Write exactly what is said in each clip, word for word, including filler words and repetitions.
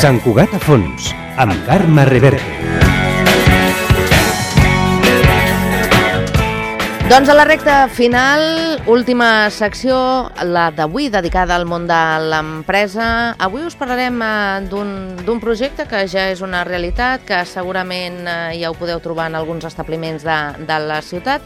Sant Cugat a fons, amb Carme Reverte. Doncs a la recta final, última secció, la d'avui, dedicada al món de l'empresa. Avui us parlarem d'un projecte que ja és una realitat, que segurament ja ho podeu trobar en alguns establiments de, de la ciutat.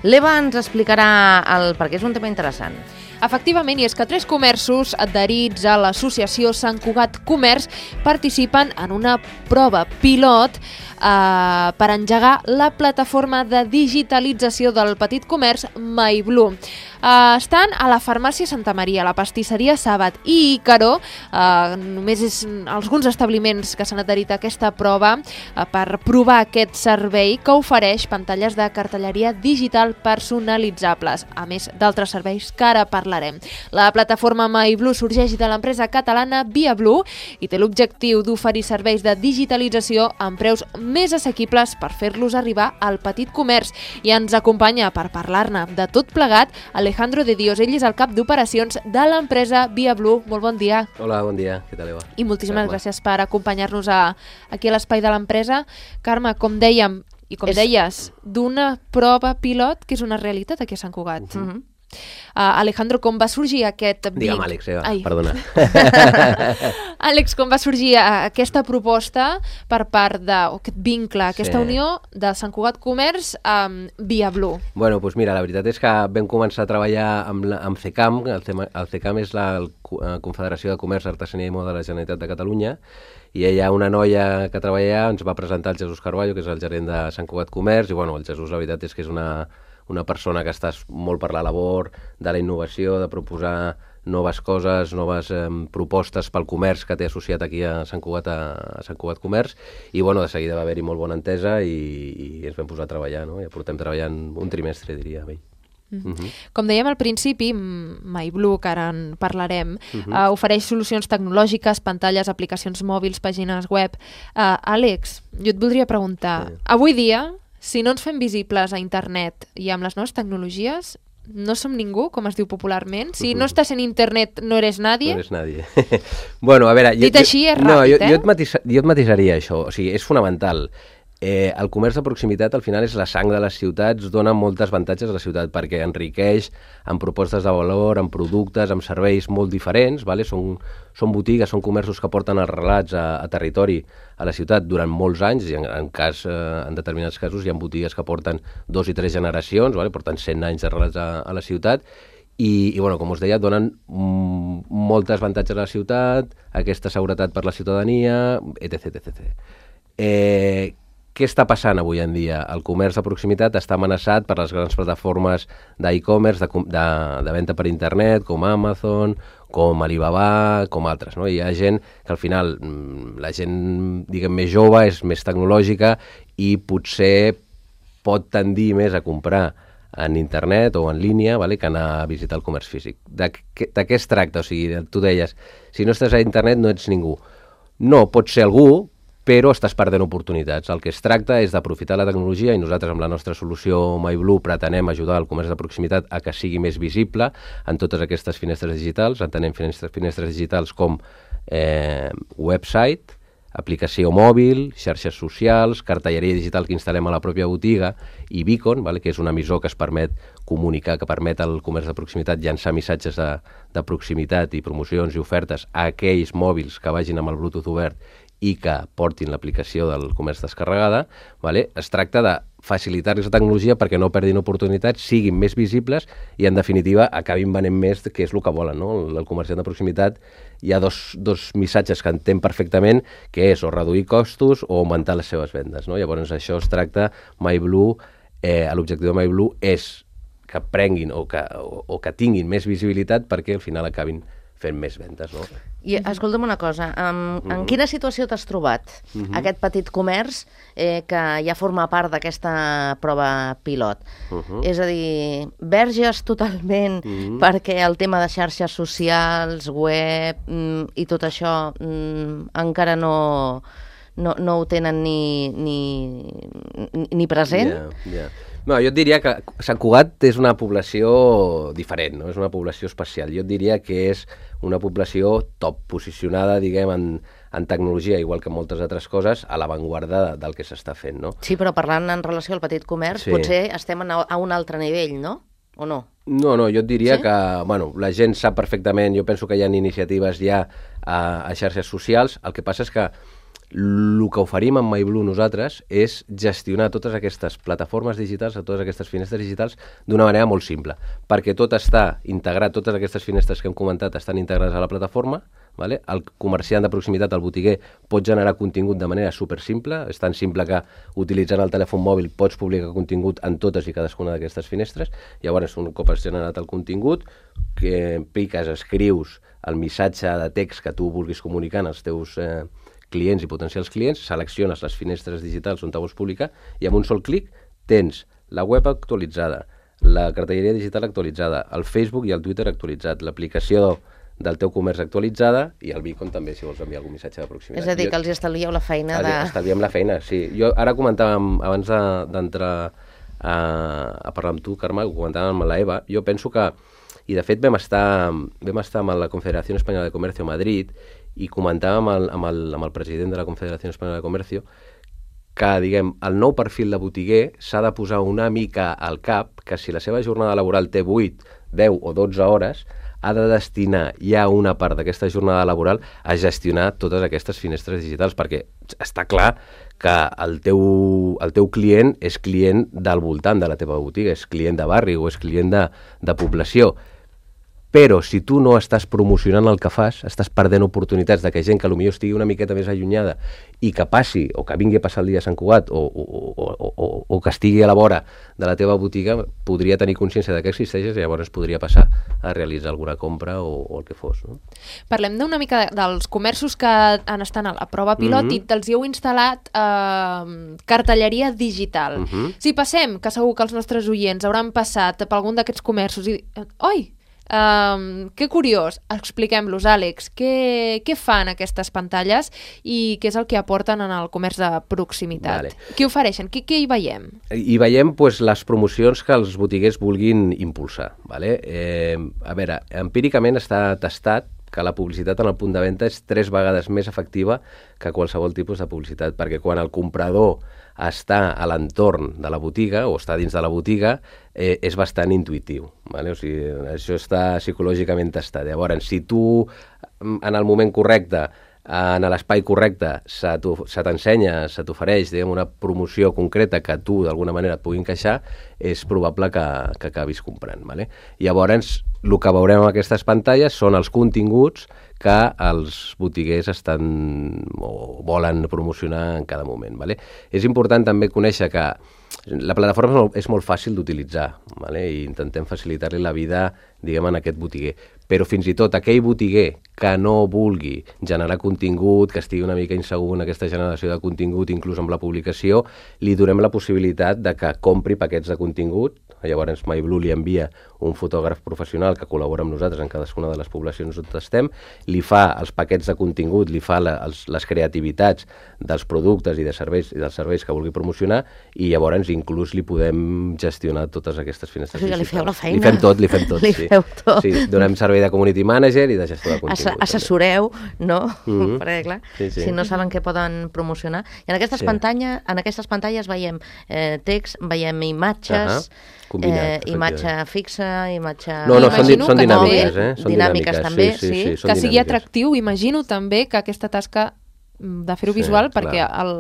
L'Eva ens explicarà el perquè és un tema interessant. Efectivament, i és que tres comerços adherits a l'associació Sant Cugat Comerç participen en una prova pilot eh, per engegar la plataforma de digitalització del petit comerç MyBlue. Eh, estan a la farmàcia Santa Maria, a la pastisseria Sàbat i Ícaro. Eh, només és alguns establiments que s'han adherit a aquesta prova eh, per provar aquest servei que ofereix pantalles de cartelleria digital personalitzables, a més d'altres serveis que ara parlarem. La plataforma MyBlue sorgeix de l'empresa catalana ViaBlue i té l'objectiu d'oferir serveis de digitalització amb preus més assequibles per fer-los arribar al petit comerç. I ens acompanya per parlar-ne de tot plegat Alejandro de Dios. Ell és el cap d'operacions de l'empresa ViaBlue. Molt bon dia. Hola, bon dia. Què tal, Eva? I moltíssimes Carme. gràcies per acompanyar-nos a, aquí a l'espai de l'empresa. Carme, com dèiem, i com és... deies, d'una prova pilot que és una realitat aquí a Sant Cugat. Uh-huh. Uh-huh. Uh, Alejandro, com va sorgir aquest... Digue'm, Àlex, Eva, Ai. perdona. Àlex, com va sorgir aquesta proposta per part de, o aquest vincle, aquesta sí. unió de Sant Cugat Comerç amb ViaBlue? Bueno, doncs mira, la veritat és que vam començar a treballar amb, la, amb CECAM. El, tema, el CECAM és la el, Confederació de Comerç, Artesania i Moda de la Generalitat de Catalunya, i ella, una noia que treballa, ens va presentar el Jesús Carballo, que és el gerent de Sant Cugat Comerç, i bueno, el Jesús, la veritat és que és una... una persona que està molt per la labor de la innovació, de proposar noves coses, noves eh, propostes pel comerç que té associat aquí a Sant Cugat, a, a Sant Cugat Comerç, i bueno, de seguida va haver-hi molt bona entesa i, i ens vam posar a treballar, no? Ja portem treballant un trimestre, diria, amb ell. Mm. Uh-huh. Com dèiem al principi, MyBlue, que ara en parlarem, uh-huh. uh, ofereix solucions tecnològiques, pantalles, aplicacions mòbils, pàgines web. Uh, Àlex, jo et voldria preguntar, sí. avui dia, si no ens fem visibles a internet i amb les noves tecnologies, no som ningú, com es diu popularment? Si no estàs en internet, no eres nadie? No eres nadie. Bueno, a veure... Dit jo, així és ràpid, no, jo, eh? Jo et, matisa, jo et matisaria això, o sigui, és fonamental. Eh, el comerç de proximitat al final és la sang de les ciutats, dona moltes avantatges a la ciutat perquè enriqueix amb propostes de valor, amb productes, amb serveis molt diferents, vale? són, són botigues, són comerços que porten els relats a, a territori a la ciutat durant molts anys, i en, en, cas, eh, en determinats casos hi ha botigues que porten dos i tres generacions, vale? Porten cent anys de relats a, a la ciutat, i, i bueno, com us deia, donen mm, moltes avantatges a la ciutat, aquesta seguretat per la ciutadania, etc etcètera. Eh, Què està passant avui en dia? El comerç de proximitat està amenaçat per les grans plataformes d'e-commerce, de, de, de venda per internet, com Amazon, com Alibaba, com altres, no? Hi ha gent que al final, la gent, diguem, més jove, és més tecnològica i potser pot tendir més a comprar en internet o en línia, vale, que anar a visitar el comerç físic. De, de què es tracta? O sigui, tu deies, si no estàs a internet no ets ningú. No, pots ser algú, però estàs perdent oportunitats. El que es tracta és d'aprofitar la tecnologia, i nosaltres amb la nostra solució MyBlue pretenem ajudar el comerç de proximitat a que sigui més visible en totes aquestes finestres digitals. Entenem finestres, finestres digitals com eh, website, aplicació mòbil, xarxes socials, cartelleria digital que instal·lem a la pròpia botiga i Beacon, vale, que és un emissor que es permet comunicar, que permet al comerç de proximitat llançar missatges de, de proximitat i promocions i ofertes a aquells mòbils que vagin amb el Bluetooth obert i que portin l'aplicació del comerç descarregada, vale? Es tracta de facilitar-los la tecnologia perquè no perdin oportunitats, siguin més visibles i, en definitiva, acabin venent més, que és el que volen, no? El, el comerciant de proximitat hi ha dos, dos missatges que entén perfectament, que és o reduir costos o augmentar les seves vendes, no? Llavors, això es tracta, MyBlue, eh, l'objectiu de MyBlue és que prenguin o que, o, o que tinguin més visibilitat perquè al final acabin fent més vendes, no? I escolta'm una cosa, en, uh-huh. en quina situació t'has trobat uh-huh. aquest petit comerç eh, que ja forma part d'aquesta prova pilot? Uh-huh. És a dir, verges totalment uh-huh. perquè el tema de xarxes socials, web mm, i tot això mm, encara no, no, no ho tenen ni, ni, ni present? Yeah, yeah. No, jo et diria que Sant Cugat és una població diferent, no? És una població especial. Jo et diria que és una població top, posicionada, diguem, en, en tecnologia, igual que moltes altres coses, a l'avantguarda del que s'està fent, no? Sí, però parlant en relació al petit comerç, Sí. potser estem a, a un altre nivell, no? O no? No, no, jo et diria Sí? que, bueno, la gent sap perfectament, jo penso que hi ha iniciatives ja a, a xarxes socials, el que passa és que el que oferim amb MyBlue nosaltres és gestionar totes aquestes plataformes digitals, totes aquestes finestres digitals, d'una manera molt simple, perquè tot està integrat, totes aquestes finestres que hem comentat estan integrades a la plataforma, vale? El comerciant de proximitat, el botiguer, pot generar contingut de manera super simple, és tan simple que utilitzant el telèfon mòbil pots publicar contingut en totes i cadascuna d'aquestes finestres. Llavors, un cop has generat el contingut, que piques, escrius el missatge de text que tu vulguis comunicar als teus eh, clients i potencials clients, selecciones les finestres digitals on te vols publicar i amb un sol clic tens la web actualitzada, la cartelleria digital actualitzada, el Facebook i el Twitter actualitzat, l'aplicació del teu comerç actualitzada i el Beacon també, si vols enviar algun missatge de proximitat. És a dir, que els estalvieu la feina de... Estalviem la feina, sí. Jo ara comentàvem, abans d'entrar a, a parlar amb tu, Carme, ho comentàvem amb la Eva, jo penso que, i de fet vam estar, vam estar amb la Confederació Espanyola de Comercio a Madrid i comentàvem amb el, amb, el, amb el president de la Confederació Espanyola de Comercio que, diguem, el nou perfil de botiguer s'ha de posar una mica al cap que si la seva jornada laboral té vuit, deu o dotze hores, ha de destinar ja una part d'aquesta jornada laboral a gestionar totes aquestes finestres digitals, perquè està clar que el teu, el teu client és client del voltant de la teva botiga, és client de barri o és client de, de població. Però si tu no estàs promocionant el que fas, estàs perdent oportunitats de que gent que potser estigui una miqueta més allunyada i que passi, o que vingui a passar el dia a Sant Cugat, o, o, o, o, o que estigui a la vora de la teva botiga, podria tenir consciència de que existeixes i llavors podria passar a realitzar alguna compra o, o el que fos. No? Parlem d'una mica de, dels comerços que han estat a la prova pilot mm-hmm. i te'ls hi heu instal·lat eh, cartelleria digital. Mm-hmm. Si passem, que segur que els nostres oients hauran passat per algun d'aquests comerços i... Oi! Um, que curiós, expliquem-los, Àlex, què, què fan aquestes pantalles i què és el que aporten en el comerç de proximitat? Vale. Què ofereixen? Què, què hi veiem? Hi veiem pues, les promocions que els botiguers vulguin impulsar. Vale? Eh, a veure, empíricament està testat que la publicitat en el punt de venda és tres vegades més efectiva que qualsevol tipus de publicitat, perquè quan el comprador està a l'entorn de la botiga o està dins de la botiga, eh, és bastant intuïtiu. Vale? O sigui, això està psicològicament testat. Llavors, si tu en el moment correcte, en l'espai correcte, se t'ensenya, se t'ofereix una promoció concreta que tu d'alguna manera et pugui encaixar, és probable que, que acabis comprant. Vale? Llavors, el que veurem en aquestes pantalles són els continguts que els botiguers estan o volen promocionar en cada moment. Vale? És important també conèixer que la plataforma és molt fàcil d'utilitzar, vale? I intentem facilitar-li la vida, diguem, en aquest botiguer. Però fins i tot aquell botiguer que no vulgui generar contingut, que estigui una mica insegur en aquesta generació de contingut, inclús amb la publicació, li donem la possibilitat de que compri paquets de contingut. Llavors MyBlue li envia un fotògraf professional que col·labora amb nosaltres en cadascuna de les poblacions on estem, li fa els paquets de contingut, li fa la, els, les creativitats dels productes i de serveis i dels serveis que vulgui promocionar i llavors inclús li podem gestionar totes aquestes finestres. O sigui, li feu la feina. Li fem tot, li fem tot. Li sí. feu tot. Sí, donem servei de community manager i de gestió de contingut. Assessoreu, no? Mm-hmm. Perquè, clar, sí, sí. si no saben què poden promocionar. I en aquestes, sí. pantalla, en aquestes pantalles veiem eh, text, veiem imatges, uh-huh. Combinat, eh, imatge fixa, imatge... No, no, són, Imagino són que dinàmiques, també, eh? Són dinàmiques, dinàmiques també, sí. sí, sí. sí, sí que sigui dinàmiques. atractiu, imagino també que aquesta tasca de fer-ho Sí, visual, clar. perquè el,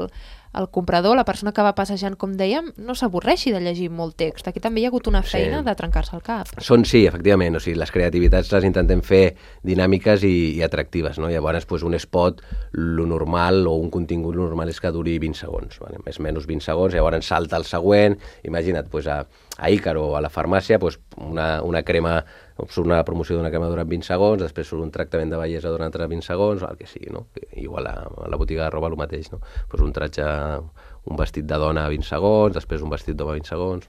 el comprador, la persona que va passejant, com dèiem, no s'avorreixi de llegir molt text. Aquí també hi ha hagut una feina Sí. de trencar-se el cap. Són, sí, efectivament, o sigui, les creativitats les intentem fer dinàmiques i, i atractives, no? Llavors, pues, un spot, lo normal, o un contingut lo normal és que duri vint segons, vale? Més o menys vint segons, llavors salta el següent, imagina't, pues, a, a Ícaro, a la farmàcia, pues, una, una crema, surt una promoció d'una crema durant vint segons, després surt un tractament de bellesa durant altres vint segons, el que sigui, no? Igual a, a la botiga de roba el mateix, no? Pues un tratge, un vestit de dona a vint segons, després un vestit d'home a vint segons.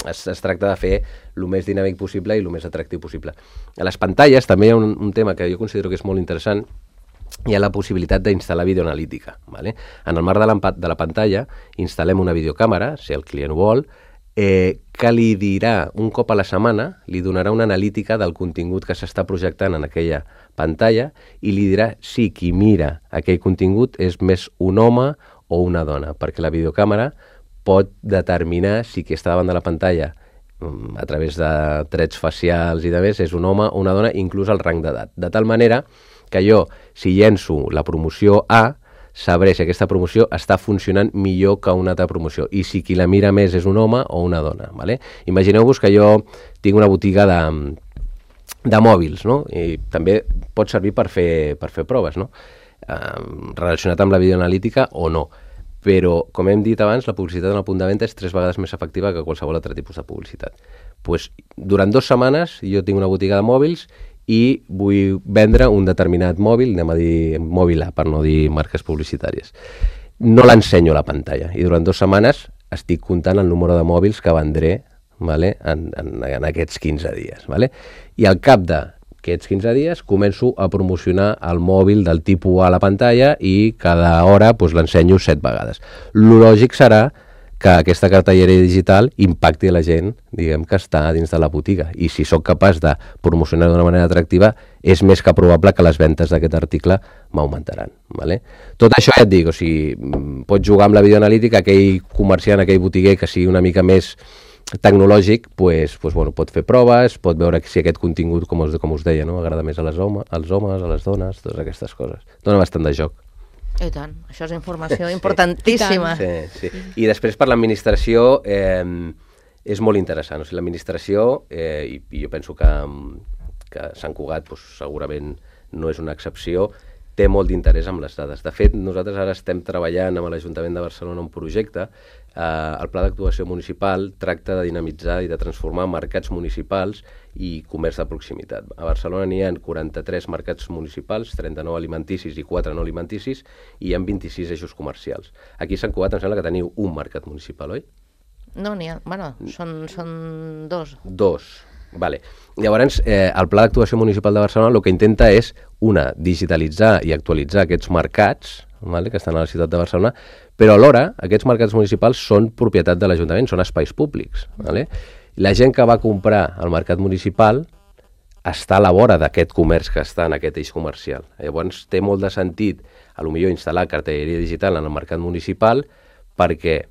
Es, es tracta de fer el més dinàmic possible i el més atractiu possible. A les pantalles també hi ha un, un tema que jo considero que és molt interessant, hi ha la possibilitat d'instal·lar videoanalítica. Vale? En el marc de la, de la pantalla instal·lem una videocàmera, si el client ho vol, eh, que li dirà un cop a la setmana, li donarà una analítica del contingut que s'està projectant en aquella pantalla i li dirà si qui mira aquell contingut és més un home o una dona, perquè la videocàmera pot determinar si qui està davant de la pantalla a través de trets facials i de més és un home o una dona, inclús el rang d'edat. De tal manera que jo, si llenço la promoció A, sabré si aquesta promoció està funcionant millor que una altra promoció i si qui la mira més és un home o una dona. ¿Vale? Imagineu-vos que jo tinc una botiga de, de mòbils, no? I també pot servir per fer, per fer proves, no? Eh, relacionat amb la videoanalítica o no. Però, com hem dit abans, la publicitat en el punt de venda és tres vegades més efectiva que qualsevol altre tipus de publicitat. Pues, durant dues setmanes jo tinc una botiga de mòbils i vull vendre un determinat mòbil, anem a dir mòbil A, per no dir marques publicitàries. No l'ensenyo a la pantalla i durant dues setmanes estic comptant el número de mòbils que vendré, vale, en, en, en aquests quinze dies. Vale? I al cap d'aquests quinze dies començo a promocionar el mòbil del tipus A a la pantalla i cada hora pues, l'ensenyo set vegades. Lo lògic serà que aquesta cartelleria digital impacti a la gent, diguem, que està dins de la botiga. I si sóc capaç de promocionar d'una manera atractiva, és més que probable que les ventes d'aquest article m'augmentaran. Vale? Tot això ja et dic, o sigui, pots jugar amb la videoanalítica, aquell comerciant, aquell botiguer que sigui una mica més tecnològic, pues, pues, bueno, pot fer proves, pot veure si aquest contingut, com us, com us deia, no? Agrada més a les home, als homes, a les dones, totes aquestes coses. Dóna bastant de joc. I tant, això és informació importantíssima. Sí, sí. I després per l'administració eh, és molt interessant. O sigui, l'administració, eh, i, i jo penso que, que Sant Cugat pues, segurament no és una excepció, té molt d'interès amb les dades. De fet, nosaltres ara estem treballant amb l'Ajuntament de Barcelona un projecte. Eh, el Pla d'Actuació Municipal tracta de dinamitzar i de transformar mercats municipals i comerç de proximitat. A Barcelona n'hi ha quaranta-tres mercats municipals, trenta-nou alimenticis i quatre no alimenticis, i hi ha vint-i-sis eixos comercials. Aquí a Sant Cugat em sembla que teniu un mercat municipal, oi? No, n'hi ha... Bueno, són, són dos. Dos. Vale. Llavors, eh, el Pla d'Actuació Municipal de Barcelona el que intenta és, una, digitalitzar i actualitzar aquests mercats, vale, que estan a la ciutat de Barcelona, però alhora aquests mercats municipals són propietat de l'Ajuntament, són espais públics. Vale? La gent que va comprar al mercat municipal està a la vora d'aquest comerç que està en aquest eix comercial. Llavors té molt de sentit, a lo millor, instal·lar cartelleria digital en el mercat municipal perquè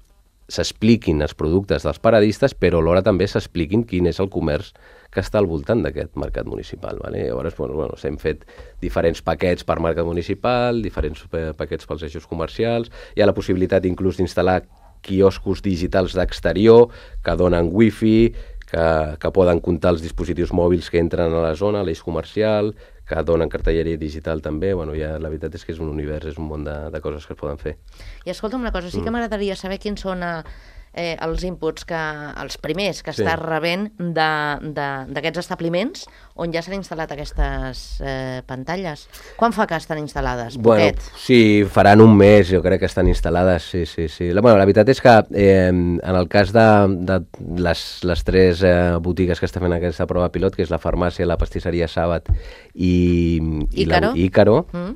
s'expliquin els productes dels paradistes, però alhora també s'expliquin quin és el comerç que està al voltant d'aquest mercat municipal. Vale? Llavors, bueno, bueno, s'hem fet diferents paquets per mercat municipal, diferents paquets pels eixos comercials, hi ha la possibilitat inclús d'instal·lar quioscos digitals d'exterior que donen wifi, que, que poden comptar els dispositius mòbils que entren a la zona, a l'eix comercial, que donen cartelleria digital també. Bueno, ja, la veritat és que és un univers, és un món de, de coses que es poden fer. I escolta'm una cosa, sí que m'agradaria saber quins són eh, els inputs, que els primers que sí. estàs rebent d'aquests establiments on ja s'han instal·lat aquestes eh, pantalles. Quan fa que estan instal·lades? Bueno, sí, faran un mes, jo crec que estan instal·lades, sí, sí, sí. La, bueno, la veritat és que eh, en el cas de, de les, les tres eh, botigues que està fent aquesta prova pilot, que és la farmàcia, la pastisseria Sàbat i, i Ícaro, la, Ícaro mm.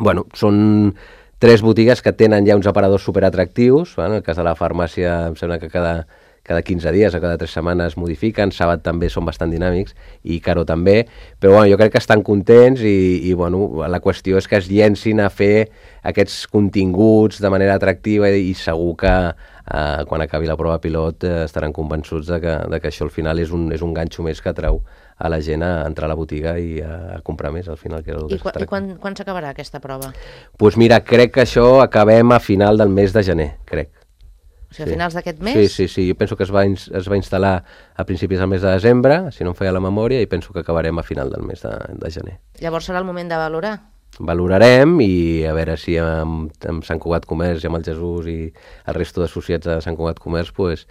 bueno, són tres botigues que tenen ja uns aparadors superatractius. En el cas de la farmàcia em sembla que cada, cada quinze dies o cada tres setmanes modifiquen, Sàbat també són bastant dinàmics i Ícaro també, però bueno, jo crec que estan contents i, i bueno, la qüestió és que es llencin a fer aquests continguts de manera atractiva i, i segur que eh, quan acabi la prova pilot eh, estaran convençuts de que, de que això al final és un, és un ganxo més que atrau a la gent a entrar a la botiga i a, a comprar més al final. Que I, qu I quan, quan s'acabarà aquesta prova? Doncs pues mira, crec que això acabem a final del mes de gener, crec. O sigui, a finals d'aquest mes? Sí, sí, sí, jo penso que es va, es va instal·lar a principis del mes de desembre, si no em feia la memòria, i penso que acabarem a final del mes de, de gener. Llavors serà el moment de valorar? Valorarem i a veure si amb, amb Sant Cugat Comerç i amb el Jesús i el resto d'associats de Sant Cugat Comerç pues,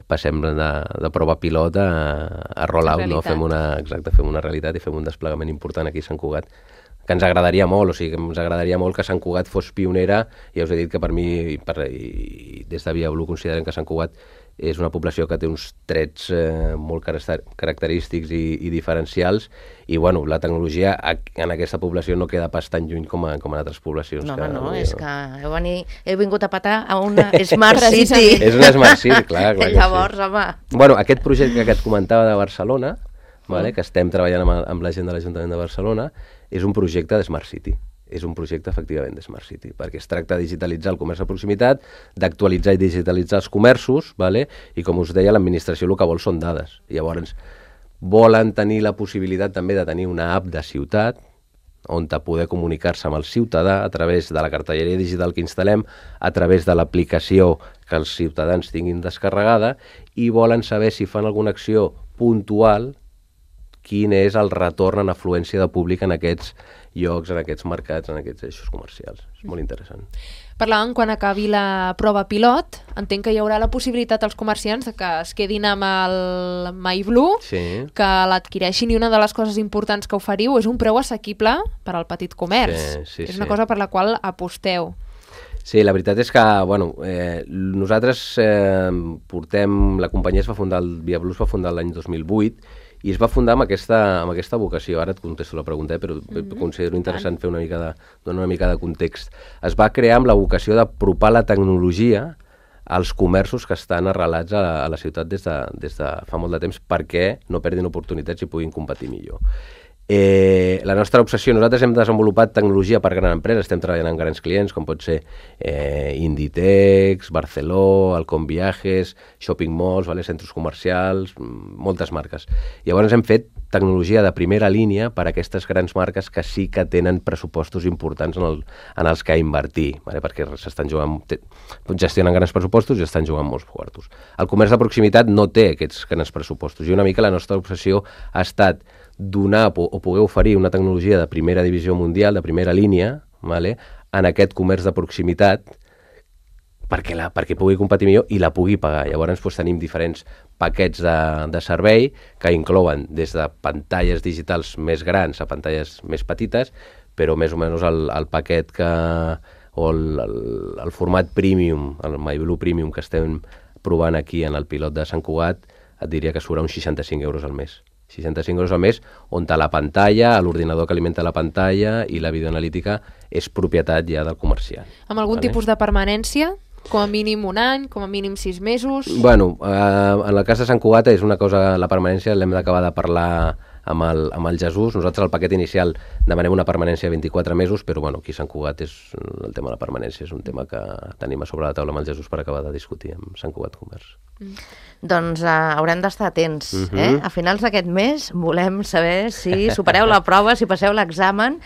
passem de, de prova pilot a, a roll-out, no? Fem una, exacte, fem una realitat i fem un desplegament important aquí a Sant Cugat, que ens agradaria molt, o sigui, que ens agradaria molt que Sant Cugat fos pionera. Ja us he dit que per mi, per, i des de Via Blue, considerem que Sant Cugat és una població que té uns trets eh, molt característics i, i diferencials, i bueno, la tecnologia en aquesta població no queda pas tan lluny com, a, com en altres poblacions. No, que, home, no, no, és que heu, veni, heu vingut a patar a una Smart City. És una Smart City, clar, clar. Llavors, sí. home... Bueno, aquest projecte que et comentava de Barcelona, vale, que estem treballant amb, amb la gent de l'Ajuntament de Barcelona, és un projecte de Smart City. És un projecte, efectivament, de Smart City, perquè es tracta de digitalitzar el comerç de proximitat, d'actualitzar i digitalitzar els comerços, vale? I com us deia, l'administració el que vol són dades. Llavors, volen tenir la possibilitat també de tenir una app de ciutat, on te poder comunicar-se amb el ciutadà a través de la cartelleria digital que instal·lem, a través de l'aplicació que els ciutadans tinguin descarregada, i volen saber si fan alguna acció puntual, quin és el retorn en afluència de públic en aquests llocs, en aquests mercats, en aquests eixos comercials. És molt interessant. Parlàvem, quan acabi la prova pilot, entenc que hi haurà la possibilitat als comerciants que es quedin amb el MyBlue, sí. que l'adquireixin, i una de les coses importants que oferiu és un preu assequible per al petit comerç. Sí, sí, és sí. una cosa per la qual aposteu. Sí, la veritat és que, bueno, eh, nosaltres eh, portem... La companyia es va fundar, el Via Blue es va fundar l'any dos mil vuit, i es va fundar amb aquesta, amb aquesta vocació. Ara et contesto la pregunta, eh, però mm-hmm. considero interessant fer una mica de, donar una mica de context. Es va crear amb la vocació d'apropar la tecnologia als comerços que estan arrelats a, a la ciutat des de, des de fa molt de temps, perquè no perdin oportunitats i puguin competir millor. Eh, la nostra obsessió, nosaltres hem desenvolupat tecnologia per grans empreses, estem treballant amb grans clients com pot ser eh, Inditex, Barceló, Alcon Viajes, shopping malls, vale, centres comercials, moltes marques. Llavors hem fet tecnologia de primera línia per a aquestes grans marques que sí que tenen pressupostos importants en, el, en els que invertir, vale, perquè s'estan jugant, gestionen grans pressupostos i estan jugant molts quartos. El comerç de proximitat no té aquests grans pressupostos, i una mica la nostra obsessió ha estat donar o poder oferir una tecnologia de primera divisió mundial, de primera línia, vale, en aquest comerç de proximitat, perquè, la, perquè pugui competir millor i la pugui pagar. Llavors doncs, tenim diferents paquets de, de servei que inclouen des de pantalles digitals més grans a pantalles més petites, però més o menys el, el paquet que, o el, el, el format premium, el MyBlue Premium que estem provant aquí en el pilot de Sant Cugat, et diria que surt uns seixanta-cinc euros al mes. seixanta-cinc euros al mes, on la pantalla, l'ordinador que alimenta la pantalla i la videoanalítica és propietat ja del comerciant. Amb algun vale? tipus de permanència? Com a mínim un any, com a mínim sis mesos? Bueno, eh, en el cas de Sant Cugat és una cosa, la permanència l'hem d'acabar de parlar amb el, amb el Jesús. Nosaltres al paquet inicial demanem una permanència de vint-i-quatre mesos, però bueno, aquí a Sant Cugat és, el tema de la permanència és un tema que tenim a sobre la taula amb el Jesús per acabar de discutir amb Sant Cugat Comerç. Mm. Doncs uh, haurem d'estar atents. Uh-huh. eh? A finals d'aquest mes volem saber si supereu la prova, si passeu l'examen,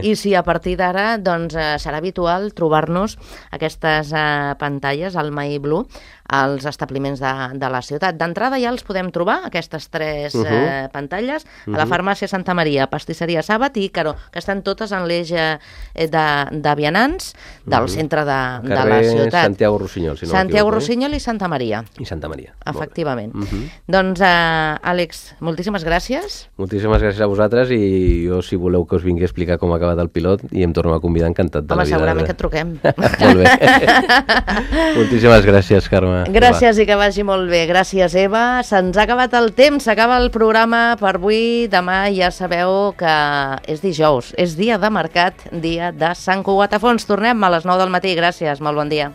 i si a partir d'ara doncs, uh, serà habitual trobar-nos aquestes uh, pantalles al MyBlue als establiments de, de la ciutat. D'entrada ja els podem trobar, aquestes tres uh-huh. eh, pantalles, uh-huh. a la farmàcia Santa Maria, pastisseria Sàbat i Caró, que estan totes en l'eix eh, de, de vianants del uh-huh. centre de, de la ciutat. Santiago Rossinyol, si no Santiago Rossinyol i Santa Maria. I Santa Maria. Efectivament. Uh-huh. Doncs, eh, Àlex, moltíssimes gràcies. Moltíssimes gràcies a vosaltres, i jo, si voleu que us vingui a explicar com ha acabat el pilot, i em torno a convidar, encantat de Home, la vida. Home, segurament que et truquem. Molt bé. Moltíssimes gràcies, Carme. Gràcies i que vagi molt bé. Gràcies, Eva. Se'ns ha acabat el temps, s'acaba el programa per avui. Demà ja sabeu que és dijous, és dia de mercat, dia de Sant Cugat a Fons. Tornem a les nou del matí. Gràcies, molt bon dia.